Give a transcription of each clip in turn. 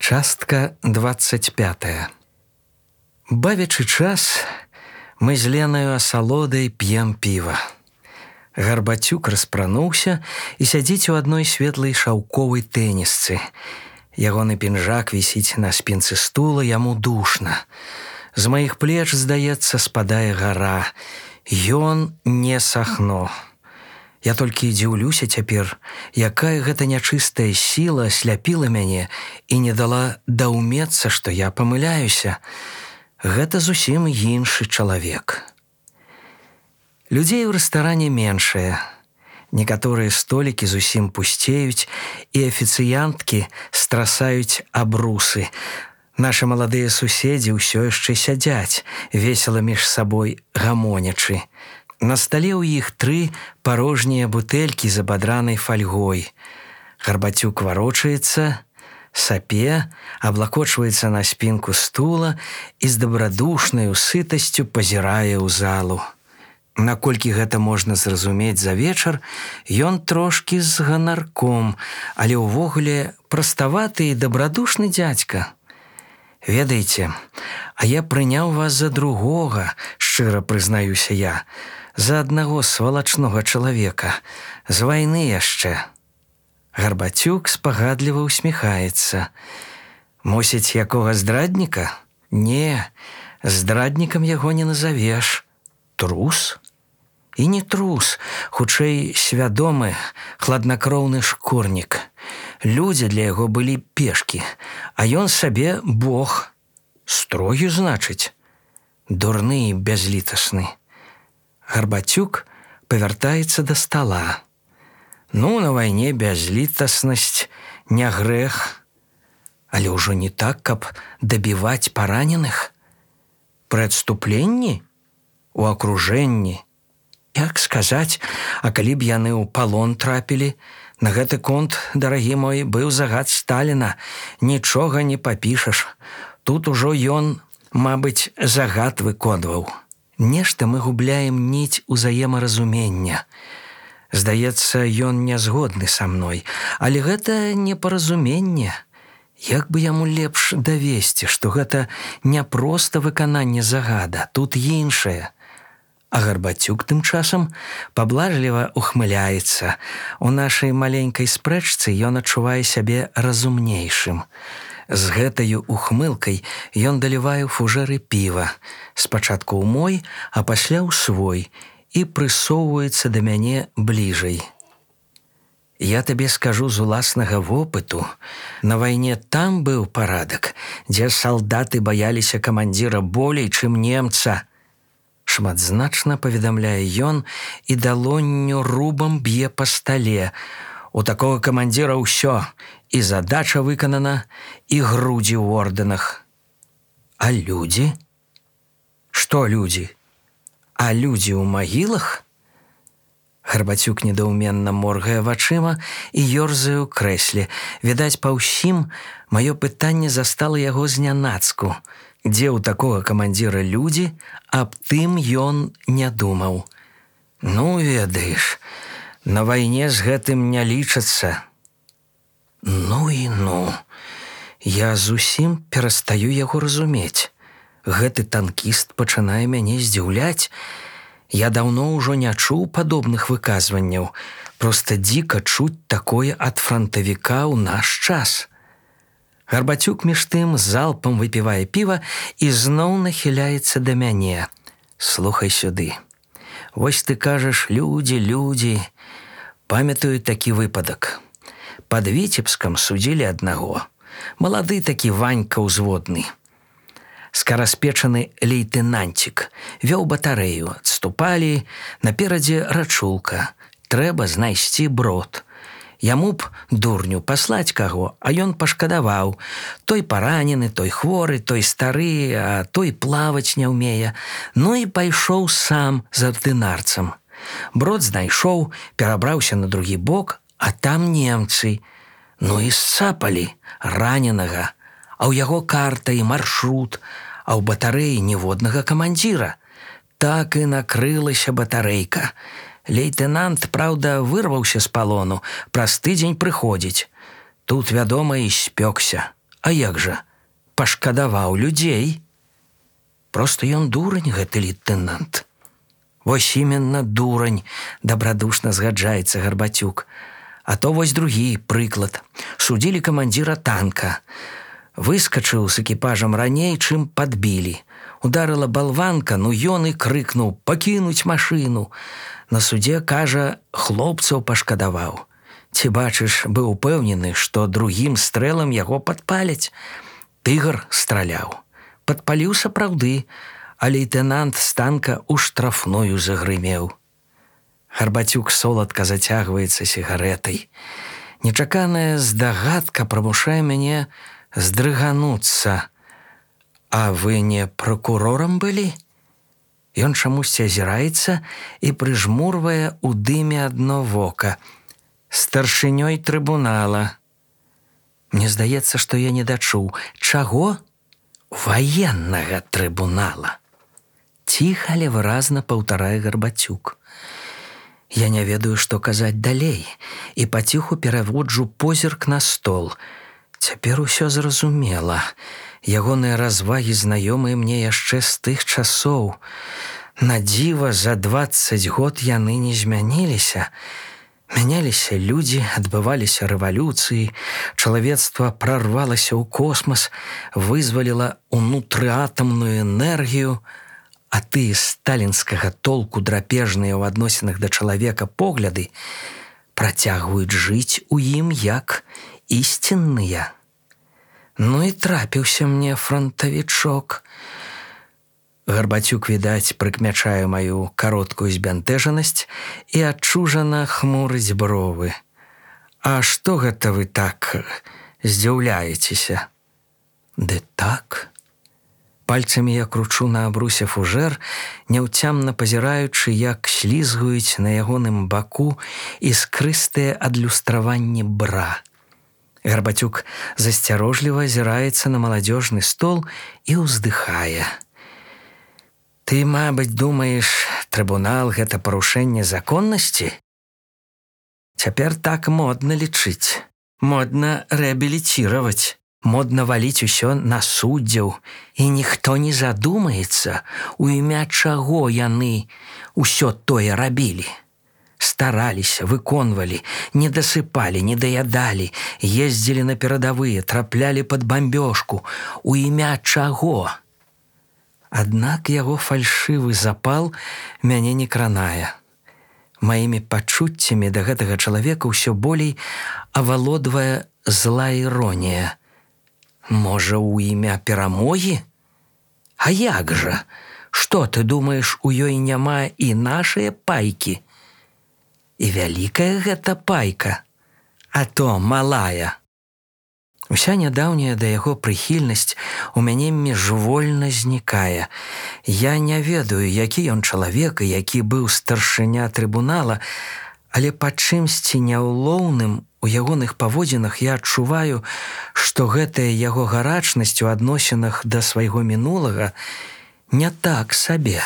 Частка 25. Бавячы час, мы з Ленаю асалодай п'ем піва. Гарбацюк распрануўся і сядзіць у адной светлай шаўковай тэнісцы. Ягоны пінжак вісіць на спінцы стула, яму душна. З маіх плеч, здаецца, спадае гара. Ён не сахно. Я толькі дзіўлюся цяпер, якая гэта нячыстая сіла асляпіла мяне і не дала даўмецца, што я памыляюся. Гэта зусім іншы чалавек. Людзей у рэстаране меншае. Некаторыя столікі зусім пусцеюць, і афіцыянткі страсаюць абрусы. Нашы маладыя суседзі ўсё яшчэ сядзяць, весела між сабой гамонячы. На стале ў іх 3 парожнія бутэлькі з абадранай фальгой. Гарбацюк варочаецца, сапе, аблакочваецца на спінку стула і з дабрадушнаю сытасцю пазірае ў залу. Наколькі гэта можна зразумець за вечар, ён трошкі з ганарком, але ўвогуле праставаты і дабрадушны дзядзька. Ведаеце, а я прыняў вас за другога, шчыра прызнаюся я, за аднаго свалачнога чалавека, з вайны яшчэ. Гарбацюк спагадліва ўсміхаецца. Мусіць, якога здрадніка? Не, здраднікам яго не назавеш. Трус? І не трус, хутчэй свядомы, хладнакроўны шкурнік. Людзі для яго былі пешкі, а ён сабе бог. Строгі, значыць? Дурны і бязлітасны. Гарбацюк павяртаецца да стала. Ну, на вайне бязлітаснасць не грэх. Але ўжо не так, каб дабіваць параненых. Пры адступленні? У акружэнні? Як сказаць, а калі б яны ў палон трапілі? На гэты конт, дарагі мой, быў загад Сталіна. Нічога не папішаш. Тут ужо ён, мабыць, загад выконваў. Нешта мы губляем ніць узаемаразумення. Здаецца, ён не згодны са мной, але гэта непаразуменне. Як бы яму лепш давесці, што гэта не проста выкананне загада, тут іншае. А Гарбацюк тым часам паблажліва ухмыляецца. У нашай маленькай спрэчцы ён адчувае сябе разумнейшым. З гэтаю ухмылкай ён далівае фужэры піва, спачатку ў мой, а пасля ў свой, і прысоўваецца да мяне бліжэй. Я табе скажу з уласнага вопыту, на вайне там быў парадак, дзе салдаты баяліся камандзіра болей, чым немца. Шматзначна паведамляе ён і далонню рубам б'е па стале. У такога камандзіра ўсё, і задача выканана, і грудзі ў ордэнах. А людзі? Што людзі? А людзі ў магілах? Гарбацюк недаўменна моргае вачыма і ёрзае ў крэсле. Відаць, па ўсім маё пытанне застала яго знянацку. Дзе ў такога камандзіра людзі, аб тым ён не думаў. Ну, ведаеш, на вайне з гэтым не лічацца. Ну і ну. Я зусім перастаю яго разумець. Гэты танкіст пачынае мяне здзіўляць. Я даўно ўжо не чуў падобных выказванняў. Проста дзіка чуць такое ад франтавіка ў наш час. Гарбацюк між тым залпам выпівае піва і зноў нахіляецца да мяне. Слухай сюды. Вось ты кажаш, людзі. Памятаю такі выпадак. Пад Віцебскам судзілі аднаго. Малады такі Ванька ўзводны. Скараспечаны лейтэнанцік. Вёў батарэю. Адступалі. Наперадзе рачулка. Трэба знайсці брод. Яму б, дурню, паслаць каго, а ён пашкадаваў. Той паранены, той хворы, той стары, а той плаваць не ўмее. Ну і пайшоў сам з ардынарцам. Брод знайшоў, перабраўся на другі бок, а там немцы. Ну і сцапалі раненага. А ў яго карта і маршрут, а ў батарэі ніводнага камандзіра. Так і накрылася батарэйка. Лейтэнант, праўда, вырваўся з палону, праз тыдзень прыходзіць. Тут, вядома, і спёкся. А як жа? Пашкадаваў людзей. Просто ён дурань, гэты лейтенант. Вось именно дурань, добрадушна згаджаецца Гарбацюк. А то вось другі прыклад. Судзілі камандзіра танка. Выскачыў з экіпажам раней, чым падбілі. Ударыла балванка, ну ён і крыкнуў: «Пакінуць машыну!» На судзе, кажа, хлопцаў пашкадаваў. Ці бачыш, быў упэўнены, што другім стрэлам яго падпаляць. Тыгр страляў. Падпаліў сапраўды, а лейтенант з танка ў штрафную загрымеў. Гарбацюк соладка зацягваецца сігарэтай. Нечаканая здагадка прымушае мяне здрыгануцца. А вы не прокурорам былі? Ён чамусьці азіраецца і прыжмурвае ў дыме адно вока. Старшынёй трыбунала. Мне здаецца, што я не дачуў. Чаго? Ваеннага трыбунала. Ціха, але выразна паўтарае Гарбацюк. Я не ведаю, што казаць далей, і паціху пераводжу позірк на стол. Цяпер усё зразумела. Ягоныя развагі знаёмыя мне яшчэ з тых часоў. На дзіва, за 20 год яны не змяніліся. Мяняліся людзі, адбываліся рэвалюцыі, чалавецтва прарвалася ў космас, вызваліла унутрыатамную энергію, а тыя сталінскага толку драпежныя ў адносінах да чалавека погляды працягваюць жыць у ім як ісцінныя. Ну і трапіўся мне франтавічок. Гарбацюк, відаць, прыкмячае маю кароткую збянтэжанасць і адчужана хмурыць бровы. А што гэта вы так здзіўляецеся? Ды так. Пальцамі я кручу на абрусе фужэр, няўцямна пазіраючы, як слізгаюць на ягоным баку іскрыстыя адлюстраванні бра. Гарбацюк засцярожліва азіраецца на маладзёжны стол і ўздыхае. Ты, мабыць, думаеш, трыбунал – гэта парушэнне законнасці? Цяпер так модна лічыць, модна рэабіліціраваць, модна валіць усё на суддзяў, і ніхто не задумаецца, у імя чаго яны ўсё тое рабілі. Стараліся, выконвалі, не дасыпалі, не даядалі, ездзілі на перадавыя, траплялі пад бамбёжку. У імя чаго? Аднак яго фальшывы запал мяне не кранае. Маімі пачуццямі да гэтага чалавека ўсё болей авалодвае злая іронія. Можа, у імя перамогі? А як жа? Што, ты думаеш, у ёй няма і нашыя пайкі? І вялікая гэта пайка, а то малая. Уся нядаўняя да яго прыхільнасць у мяне міжвольна знікае. Я не ведаю, які ён чалавек і які быў старшыня трыбунала, але па чымсьці няўлоўным у ягоных паводзінах я адчуваю, што гэтая яго гарачнасць у адносінах да свайго мінулага не так сабе.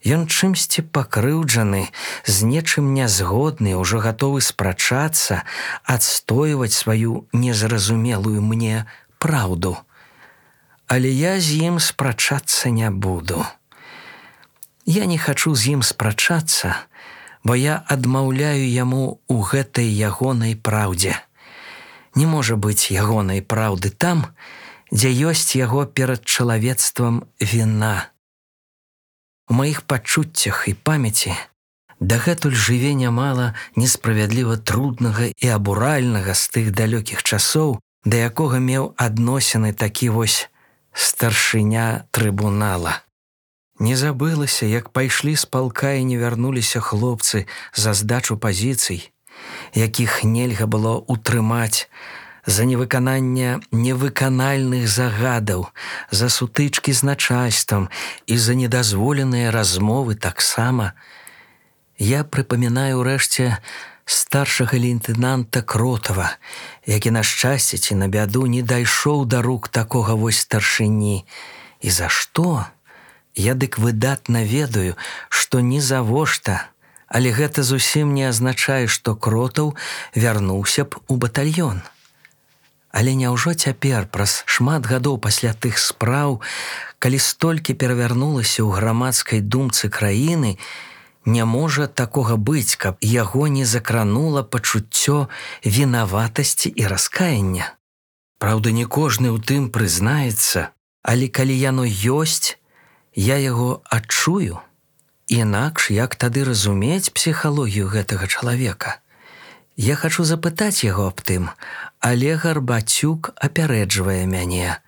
Ён чымсьці пакрыўджаны, з нечым нязгодны, ужо гатовы спрачацца, адстойваць сваю незразумелую мне праўду. Але я з ім спрачацца не буду. Я не хачу з ім спрачацца, бо я адмаўляю яму ў гэтай ягонай праўдзе. Не можа быць ягонай праўды там, дзе ёсць яго перад чалавецтвам віна. У маіх пачуццях і памяці дагэтуль жыве нямала несправядліва труднага і абуральнага з тых далёкіх часоў, да якога меў адносіны такі вось старшыня трыбунала. Не забылася, як пайшлі з палка і не вярнуліся хлопцы за здачу пазіцый, якіх нельга было утрымаць, за невыкананне невыканальных загадаў, за сутычкі з начальствам і за недазволеныя размовы таксама. Я прыпамінаю ўрэшце старшага лейтенанта Кротава, які на шчасце ці на бяду не дайшоў да рук такога вось старшыні. І за што? Я дык выдатна ведаю, што ні завошта, але гэта зусім не азначае, што Кротаў вярнуўся б у батальён. Але няўжо цяпер, праз шмат гадоў пасля тых спраў, калі столькі перавярнулася ў грамадскай думцы краіны, не можа такога быць, каб яго не закранула пачуццё вінаватасці і раскаяння? Праўда, не кожны ў тым прызнаецца, але калі яно ёсць, я яго адчую. Інакш як тады разумець псіхалогію гэтага чалавека? Я хачу запытаць яго аб тым, але Гарбацюк апярэджвае мяне.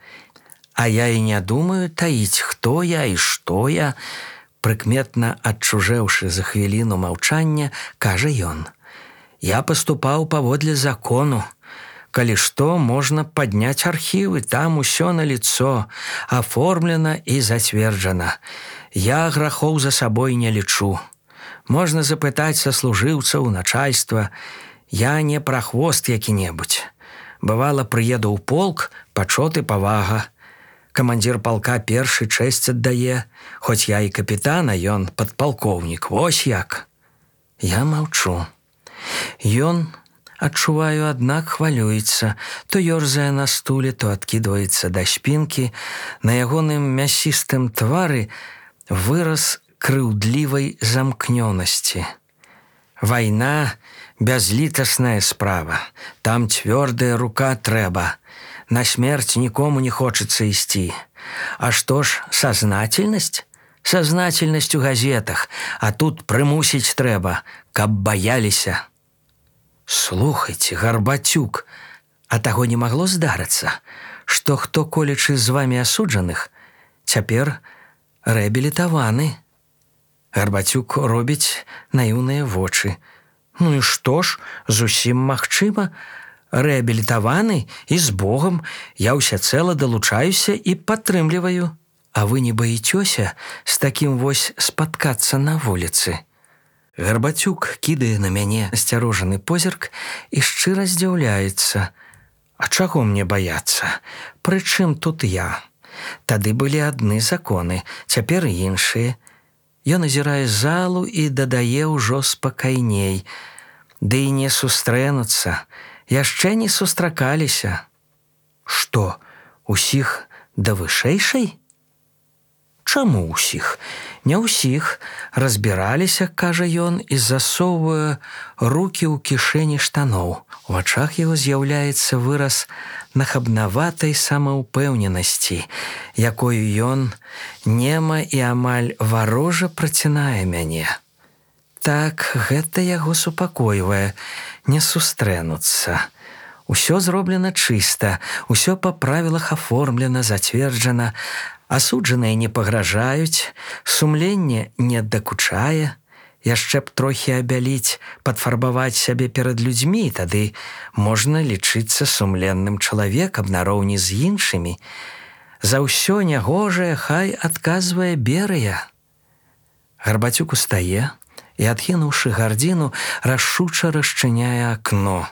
А я і не думаю таіць, хто я і што я. Прыкметна адчужэўшы за хвіліну маўчання, кажа ён: я паступаў паводле закону. Калі што, можна падняць архівы, там усё наліцо, аформлена і зацверджана. Я грахоў за сабой не лічу. Можна запытаць саслужыўцаў, начальства. Я не прахвост які-небудзь. Бывала, прыеду ў полк, пачот і павага. Камандзір палка першы чэсць аддае, хоць я і капітан, а ён падпалкоўнік. Вось як. Я маўчу. Ён, адчуваю, аднак хвалюецца. То ёрзае на стуле, то адкідваецца да спінкі. На ягоным мясістым твары выраз крыўдлівай замкнёнасці. Вайна – бязлітасная справа. Там цвёрдая рука трэба. На смерць нікому не хочацца ісці. А што ж сазнательнасць? Сазнательнасць у газетах, а тут прымусіць трэба, каб баяліся. Слухайце, Гарбацюк, а таго не магло здарыцца, што хто колечы з вамі асуджаных, цяпер рэабілітаваны. Гарбацюк робіць наіўныя вочы. Ну і што ж, зусім магчыма. Рэабілітаваны і з Богам, я ўсяцэла далучаюся і падтрымліваю. А вы не баіцёся з такім вось спаткацца на вуліцы? Гарбацюк кідае на мяне асцярожаны позірк і шчыра здзіўляецца. А чаго мне баяцца? Прычым тут я? Тады былі адны законы, цяпер іншыя. Ён азірае залу і дадае ўжо спакайней. Ды і не сустрэнуцца, яшчэ не сустракаліся. Што, усіх да вышэйшай? Чаму ўсіх? Не ўсіх. Разбіраліся, кажа ён, і засоўвае рукі ў кішэні штаноў. У вачах яго з'яўляецца выраз нахабнаватай самаўпэўненасці, якою ён нема і амаль варожа працінае мяне. Так, гэта яго супакойвае, не сустрэнуцца. Усё зроблена чыста, усё па правілах аформлена, зацверджана, асуджаныя не пагражаюць, сумленне не дакучае. Яшчэ б трохі абяліць, падфарбаваць сябе перад людзьмі, тады можна лічыцца сумленным чалавекам нароўні з іншымі. За ўсё нягожае хай адказвае Берыя. Гарбацюк устае і, адкінуўшы гардзіну, рашуча расчыняе акно.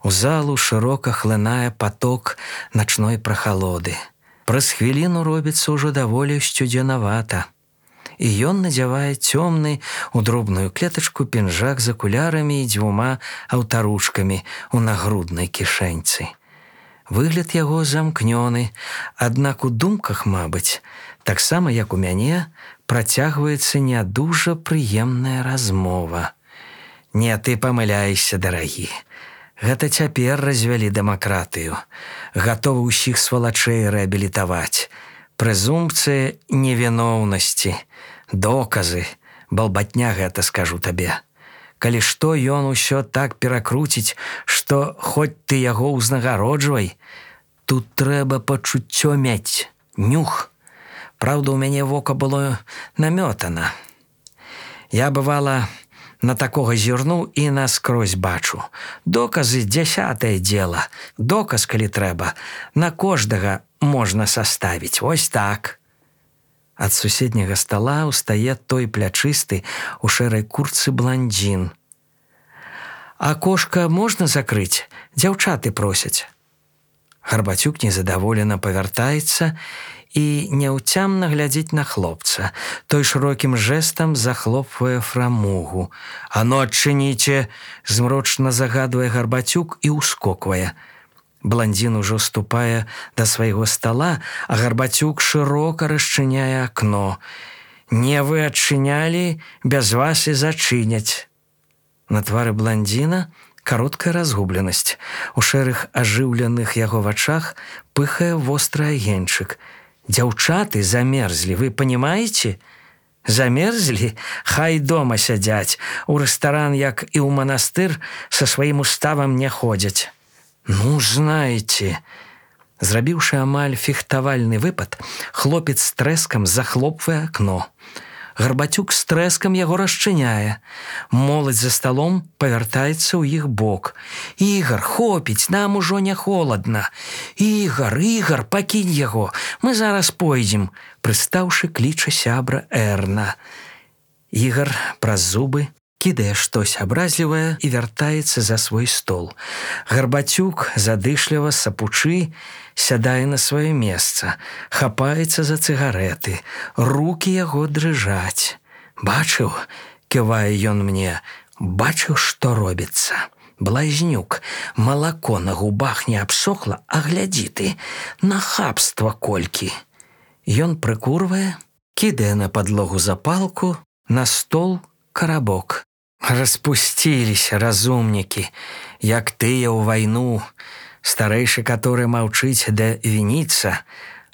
У залу шырока хлынае паток начной прахалоды. Праз хвіліну робіцца ўжо даволі сцюдзенавата. І ён надзявае цёмны у дробную клетачку пінжак з акулярамі і 2 аўтаручкамі ў нагруднай кішэньцы. Выгляд яго замкнёны, аднак у думках, мабыць, таксама як у мяне, працягваецца не дужа прыемная размова. Не, ты памыляешся, дарагі. Гэта цяпер развялі дэмакратыю. Гатовы ўсіх свалачэй рэабілітаваць. Прэзумпцыя невіноўнасці. Доказы, балбатня гэта, скажу табе. Калі што, ён усё так перакруціць, што хоць ты яго ўзнагароджвай, тут трэба пачуццё мець, нюх. Праўда, у мяне вока было намётана. Я, бывала, на такога зірну і наскрозь бачу. Доказы – 10-е дело. Доказ, калі трэба, на кожнага можна саставіць. Вось так. Ад суседняга стала ўстае той плячысты у шэрай куртцы бландзін. Акошка можна закрыць? Дзяўчаты просяць. Гарбацюк незадаволена павяртаецца і няўцямна глядзіць на хлопца. Той шырокім жэстам захлопвае фрамугу. «А ну, адчыніце!» – змрочна загадвае Гарбацюк і ўскоквае. Блондин ужо ступае да свайго стала, а Гарбацюк шырока расчыняе акно. «Не вы адчынялі, без вас і зачыняць». На твары блондина кароткая разгубленасць. У шэрых ажыўленых яго вачах пыхае востры агеньчык. «Дзяўчаты замерзлі, вы понимаете? Замерзлі? Хай дома сядзяць. У рэстаран, як і ў манастыр, са сваім уставам не ходзяць». «Ну, знаете...» Зрабіўшы амаль фехтавальны выпад, хлопец з трэскам захлопвае акно. Гарбацюк з трэскам яго расчыняе. Моладзь за сталом павяртаецца ў іх бок. «Ігар, хопіць, нам ужо не холадна. Ігар, Ігар, пакінь яго, мы зараз пойдзем», прыстаўшы кліча сябра Эрна. Ігар праз зубы кідае штось абразлівае і вяртаецца за свой стол. Гарбацюк, задышліва сапучы, сядае на сваё месца, хапаецца за цыгарэты, рукі яго дрыжаць. «Бачыў?» – ківае ён мне. «Бачыў, што робіцца? Блазнюк, малако на губах не абсохла, а глядзі ты, нахабства колькі». Ён прыкурвае, кідае на падлогу запалку, на стол карабок. «Распусціліся разумнікі, як тыя ў вайну, старэйшы, который маўчыць да вініцца,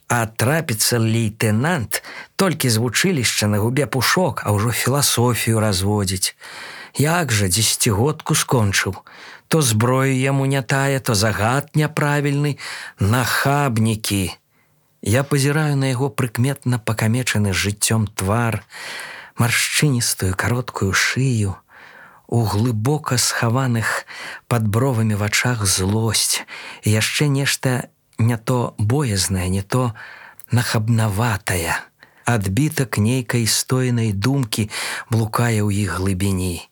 а трапіцца лейтенант, толькі з вучылішча на губе пушок, а ўжо філасофію разводзіць. Як жа дзесяцігодку скончыў, то зброю яму не тая, то загад няправільны, нахабнікі». Я пазіраю на яго прыкметна пакамечаны жыццём твар, маршчыністую кароткую шыю, у глыбока схаваных пад бровамі вачах злосць і яшчэ нешта не то боязнае, не то нахабнаватае. Адбітак нейкай стойнай думкі блукае ў іх глыбіні.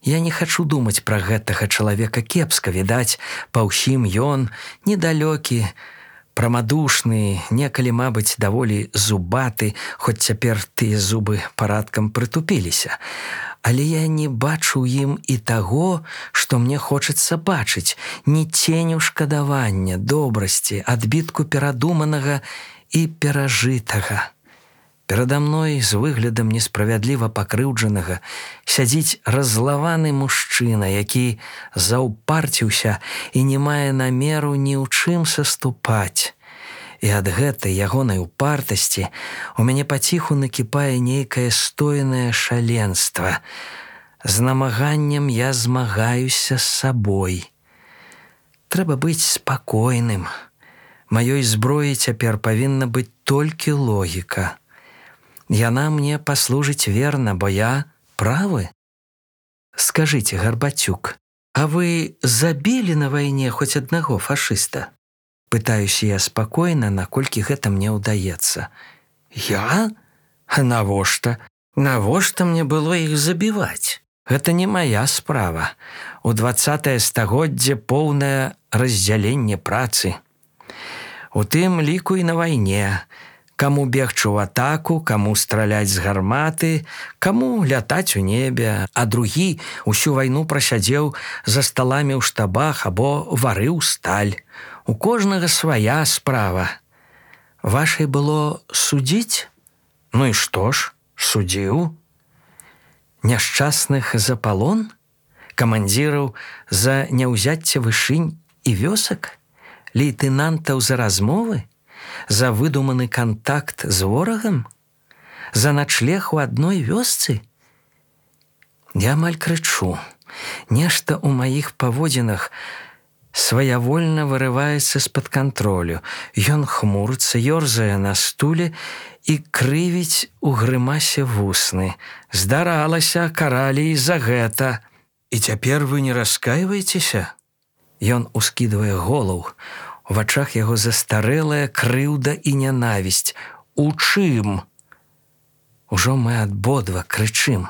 Я не хачу думаць пра гэтага чалавека кепска, відаць, па ўсім ён недалёкі, прамадушны, некалі, мабыць, даволі зубаты, хоць цяпер тыя зубы парадкам прытупіліся. Але я не бачу ў ім і таго, што мне хочацца бачыць, ні ценю шкадавання, добрасці, адбітку перадуманага і перажытага. Перада мной з выглядам несправядліва пакрыўджанага сядзіць раззлаваны мужчына, які заўпарціўся і не мае намеру ні ў чым саступаць. І ад гэтай ягонай упартасці у мяне паціху накіпае нейкае стойнае шаленства. З намаганнем я змагаюся з сабой. Трэба быць спакойным. Маёй зброі цяпер павінна быць толькі логіка. Яна мне паслужыць верна, бо я правы. Скажыце, Гарбацюк, а вы забілі на вайне хоць аднаго фашыста? Пытаюся я спакойна, наколькі гэта мне ўдаецца. Я? А навошта? Навошта мне было іх забіваць? Гэта не мая справа. У 20-е стагоддзе поўнае раздзяленне працы. У тым ліку і на вайне. Каму бегчы ў атаку, каму страляць з гарматы, каму лятаць у небе, а другі ўсю вайну прасядзеў за сталамі ў штабах або варыў сталь. У кожнага свая справа. Вашай было судзіць? Ну і што ж, судзіў. Няшчасных за палон? Камандзіраў за няўзяцце вышынь і вёсак? Лейтэнантаў за размовы? За выдуманы кантакт з ворагам? За начлег у адной вёсцы? Я амаль крычу. Нешта ў маіх паводзінах сваявольна вырываецца з-пад кантролю. Ён хмурыцца, ёрзае на стуле і крывіць у грымасе вусны. Здаралася, каралі і за гэта. І цяпер вы не раскайваецеся? Ён ускідвае голаў. У вачах яго застарэлая крыўда і нянавісць. У чым? Ужо мы абодва крычым.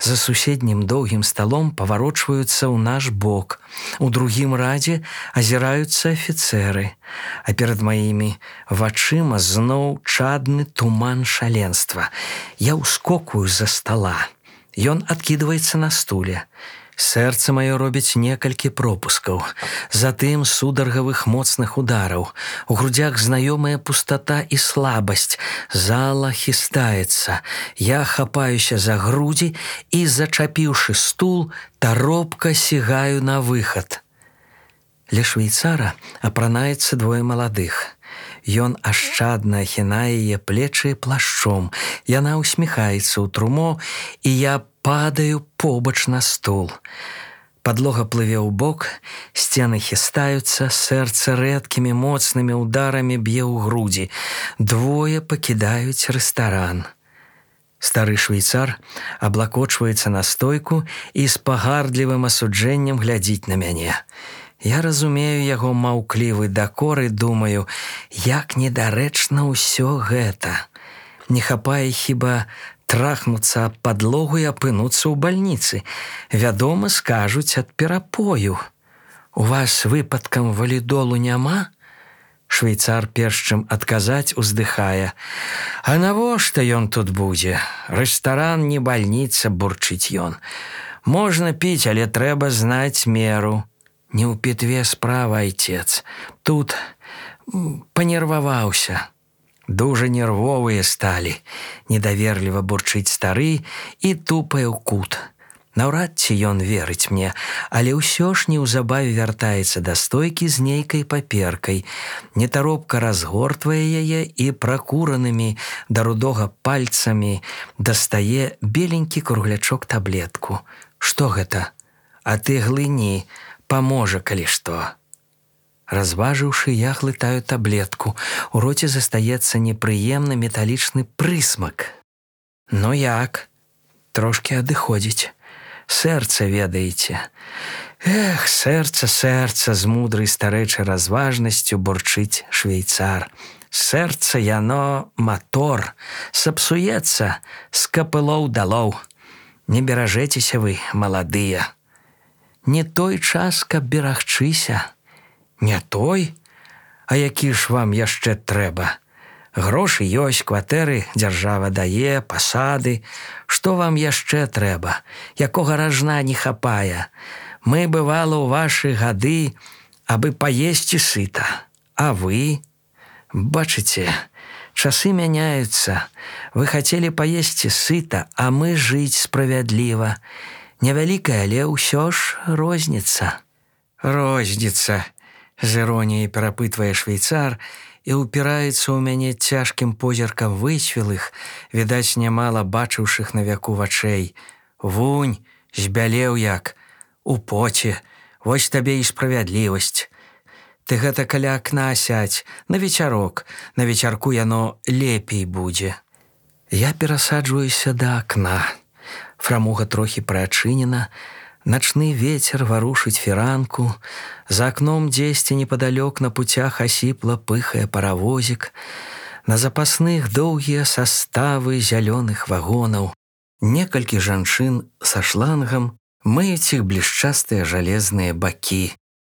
За суседнім доўгім сталом паварочваюцца ў наш бок. У другім радзе азіраюцца афіцэры, а перад маімі вачыма зноў чадны туман шаленства. Я ўскокваю з-за стала. Ён адкідваецца на стуле. Сэрца маё робіць некалькі пропускаў, затым сударгавых моцных удараў. У грудзях знаёмая пустата і слабасць. Зала хістаецца. Я хапаюся за грудзі і, зачапіўшы стул, таропка сігаю на выхад. Ля швейцара апранаецца двое маладых. Ён ашчадна ахінае яе плечы плашчом. Яна усміхаецца ў трумо, і я падаю побач на стул. Падлога плыве ў бок, сцены хістаюцца, сэрца рэдкімі моцнымі ударамі б'е ў грудзі. Двое пакідаюць рэстаран. Стары швейцар аблакочваецца на стойку і з пагардлівым асуджэннем глядзіць на мяне. Я разумею яго маўклівы дакор і думаю, як недарэчна ўсё гэта. Не хапае хіба трахнуцца аб падлогу і апынуцца ў бальніцы. Вядома, скажуць ад перапою. У вас выпадкам валідолу няма? Швейцар, перш чым адказаць, уздыхае. А навошта ён тут будзе? Рэстаран не бальніца, бурчыць ён. Можна піць, але трэба знаць меру. Не ў пітве справа, айцец. Тут панерваваўся. Дужа нервовыя сталі. Недаверліва бурчыць стары і тупае ў кут. Наўрад ці ён верыць мне, але ўсё ж неўзабаве вяртаецца да стойкі з нейкай паперкай. Нетаропка разгортвае яе і пракуранымі да рудога пальцамі дастае беленькі круглячок таблетку. Што гэта? А ты глыні, паможа, калі што. Разважыўшы, я глытаю таблетку. У роце застаецца непрыемны металічны прысмак. Ну як? Трошкі адыходзіць. Сэрца, ведаеце. Эх, сэрца, з мудрай старэчай разважнасцю бурчыць швейцар. Сэрца яно матор, сапсуецца з капылоў далоў. Не беражэцеся вы, маладыя. Не той час, каб берагчыся. Не той? А які ж вам яшчэ трэба? Грошы ёсць, кватэры дзяржава дае, пасады. Што вам яшчэ трэба? Якога ражна не хапае? Мы, бывала, у вашы гады, абы паесці сыта. А вы? Бачыце, часы мяняюцца. Вы хацелі паесці сыта, а мы жыць справядліва. Невялікая, але ўсё ж розніца. Розніца, з іроніяй перапытвае швейцар і ўпіраецца ў мяне цяжкім позіркам выцвілых, відаць, нямала бачыўшых на вяку вачэй. Вунь, збялеў як, у поце, вось табе і справядлівасць. Ты гэта каля акна сядзь, на вечарок, на вечарку яно лепей будзе. Я перасаджваюся да акна. Фрамуга трохі прыачынена, начны вецер варушыць фіранку, за акном дзесьці непадалёк на пуцях асіпла пыхае паравозік, на запасных доўгія саставы зялёных вагонаў. Некалькі жанчын са шлангам мыюць іх блішчастыя жалезныя бакі.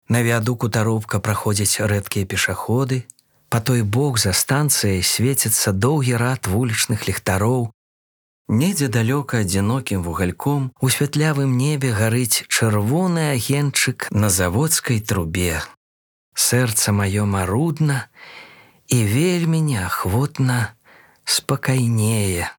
На віадуку таропка праходзяць рэдкія пешаходы. Па той бок за станцыяй свеціцца доўгі рад вулічных ліхтароў. Недзе далёка адзінокім вугальком у святлявым небе гарыць чырвоны агеньчык на заводскай трубе. Сэрца маё марудна і вельмі неахвотна спакайнее.